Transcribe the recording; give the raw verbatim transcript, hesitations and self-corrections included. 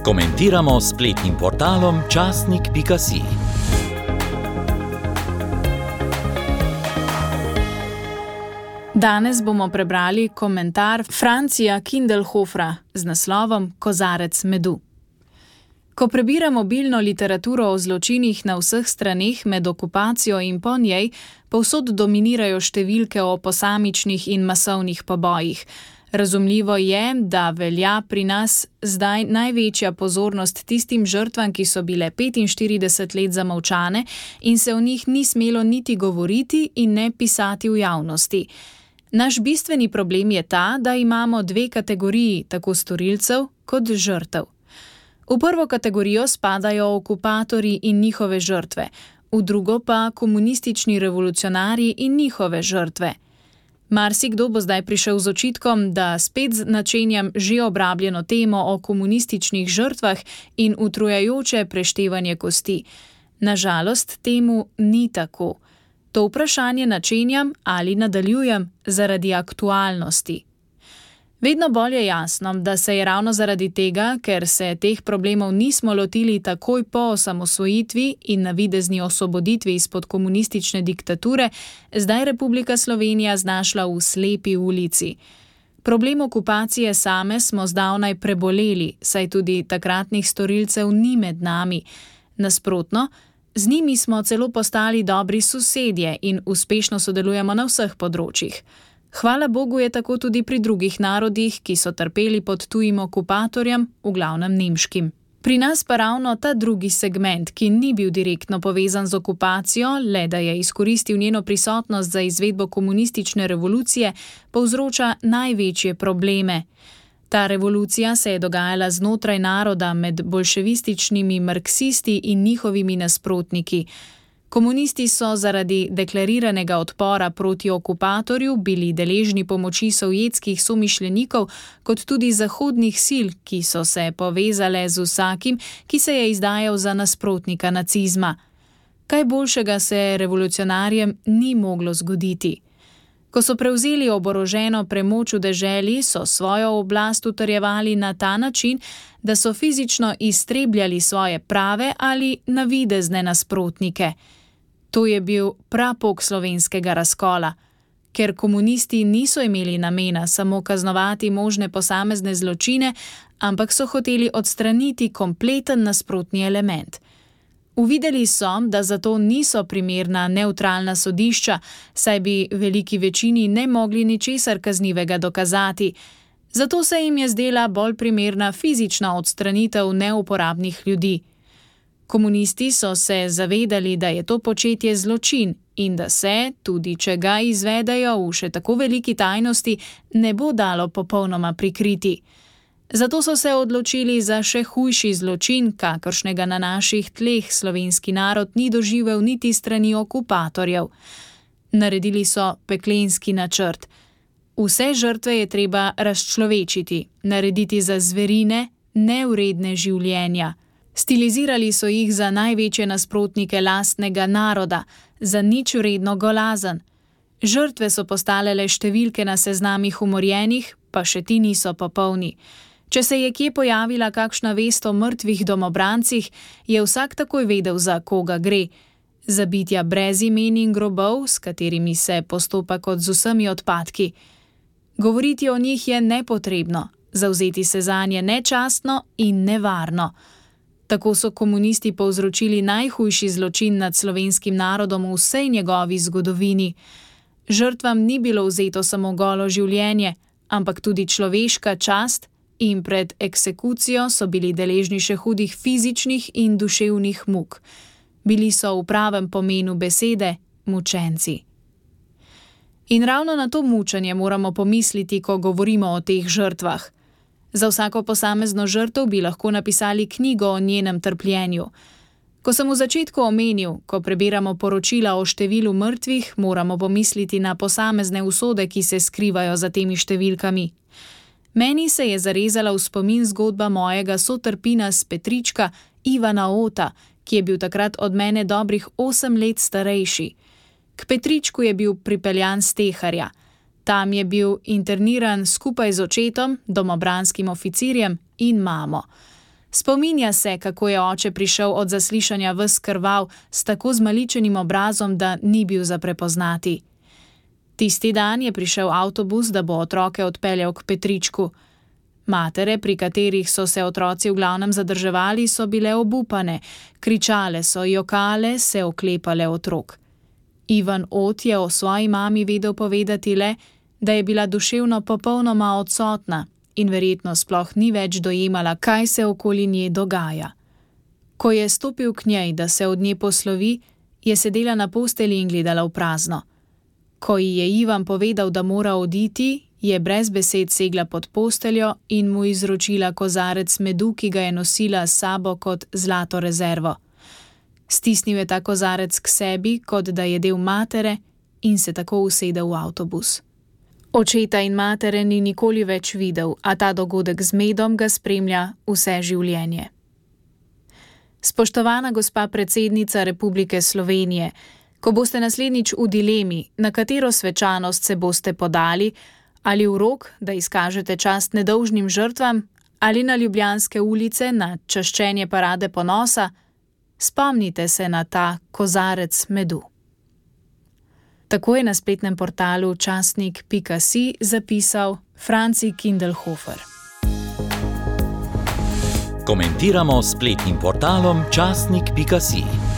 Komentiramo s spletnim portalom časnik pika si. Danes bomo prebrali komentar Francija Kindelhofra z naslovom Kozarec medu. Ko prebira mobilno literaturo o zločinih na vseh straneh med okupacijo in po njej, povsod dominirajo številke o posamičnih in masovnih pobojih. Razumljivo je, da velja pri nas zdaj največja pozornost tistim žrtvam, ki so bile petinštirideset let zamolčane in se o njih ni smelo niti govoriti in ne pisati v javnosti. Naš bistveni problem je ta, da imamo dve kategoriji, tako storilcev kot žrtev. V prvo kategorijo spadajo okupatorji in njihove žrtve, v drugo pa komunistični revolucionarji in njihove žrtve. Marsikdo bo zdaj prišel z očitkom, da spet načenjam že obrabljeno temo o komunističnih žrtvah in utrujajoče preštevanje kosti. Nažalost, temu ni tako. To vprašanje načenjam ali nadaljujem zaradi aktualnosti. Vedno bolj je jasno, da se je ravno zaradi tega, ker se teh problemov nismo lotili takoj po osamosvojitvi in navidezni osvoboditvi izpod komunistične diktature, zdaj Republika Slovenija znašla v slepi ulici. Problem okupacije same smo zdavnaj preboleli, saj tudi takratnih storilcev ni med nami. Nasprotno, z njimi smo celo postali dobri sosedje in uspešno sodelujemo na vseh področjih. Hvala Bogu je tako tudi pri drugih narodih, ki so trpeli pod tujim okupatorjem, v glavnem nemškim. Pri nas pa ravno ta drugi segment, ki ni bil direktno povezan z okupacijo, le da je izkoristil njeno prisotnost za izvedbo komunistične revolucije, povzroča največje probleme. Ta revolucija se je dogajala znotraj naroda med bolševističnimi marksisti in njihovimi nasprotniki. Komunisti so zaradi deklariranega odpora proti okupatorju bili deležni pomoči sovjetskih somišljenikov kot tudi zahodnih sil, ki so se povezale z vsakim, ki se je izdajal za nasprotnika nacizma. Kaj boljšega se revolucionarjem ni moglo zgoditi. Ko so prevzeli oboroženo premoč v deželi, so svojo oblast utrjevali na ta način, da so fizično iztrebljali svoje prave ali navidezne nasprotnike. To je bil prapok slovenskega razkola, ker komunisti niso imeli namena samo kaznovati možne posamezne zločine, ampak so hoteli odstraniti kompleten nasprotni element. Uvideli so, da zato niso primerna nevtralna sodišča, saj bi veliki večini ne mogli ničesar kaznivega dokazati. Zato se jim je zdela bolj primerna fizična odstranitev neuporabnih ljudi. Komunisti so se zavedali, da je to početje zločin in da se, tudi če ga izvedejo v še tako veliki tajnosti, ne bo dalo popolnoma prikriti. Zato so se odločili za še hujši zločin, kakršnega na naših tleh slovenski narod ni doživel niti strani okupatorjev. Naredili so peklenski načrt. Vse žrtve je treba razčlovečiti, narediti za zverine, nevredne življenja. Stilizirali so jih za največje nasprotnike lastnega naroda, za nič vredno golazen. Žrtve so postale le številke na seznamih umorjenih, pa še ti niso popolni. Če se je kje pojavila kakšna vest o mrtvih domobrancih, je vsak takoj vedel, za koga gre. Za bitja brez imen in grobov, s katerimi se postopa kot z vsemi odpadki. Govoriti o njih je nepotrebno, zavzeti se zanje nečastno in nevarno. Tako so komunisti povzročili najhujši zločin nad slovenskim narodom v vsej njegovi zgodovini. Žrtvam ni bilo vzeto samo golo življenje, ampak tudi človeška čast in pred eksekucijo so bili deležni še hudih fizičnih in duševnih muk. Bili so v pravem pomenu besede mučenci. In ravno na to mučenje moramo pomisliti, ko govorimo o teh žrtvah. Za vsako posamezno žrtev bi lahko napisali knjigo o njenem trpljenju. Ko sem v začetku omenil, ko prebiramo poročila o številu mrtvih, moramo pomisliti na posamezne usode, ki se skrivajo za temi številkami. Meni se je zarezala v spomin zgodba mojega sotrpina s Petrička, Ivana Ota, ki je bil takrat od mene dobrih osem let starejši. K Petričku je bil pripeljan s Teharja. Tam je bil interniran skupaj z očetom, domobranskim oficirjem in mamo. Spominja se, kako je oče prišel od zaslišanja ves krvav s tako zmaličenim obrazom, da ni bil za prepoznati. Tisti dan je prišel avtobus, da bo otroke odpeljal k Petričku. Matere, pri katerih so se otroci v glavnem zadrževali, so bile obupane, kričale so, jokale, se oklepale otrok. Ivan Ot je o svoji mami vedel povedati le, da je bila duševno popolnoma odsotna in verjetno sploh ni več dojemala, kaj se okoli nje dogaja. Ko je stopil k njej, da se od nje poslovi, je sedela na postelji in gledala v prazno. Ko ji je Ivan povedal, da mora oditi, je brez besed segla pod posteljo in mu izročila kozarec medu, ki ga je nosila s sabo kot zlato rezervo. Stisnil je ta kozarec k sebi, kot da je del matere, in se tako usedel v avtobus. Očeta in matere ni nikoli več videl, a ta dogodek z medom ga spremlja vse življenje. Spoštovana gospa predsednica Republike Slovenije, ko boste naslednjič v dilemi, na katero svečanost se boste podali, ali v rok, da izkažete čast nedolžnim žrtvam, ali na Ljubljanske ulice na čaščenje parade ponosa, spomnite se na ta kozarec medu. Tako je na spletnem portalu časnik pika si zapisal Franci Kindelhofer. Komentiramo s spletnim portalom časnik pika si.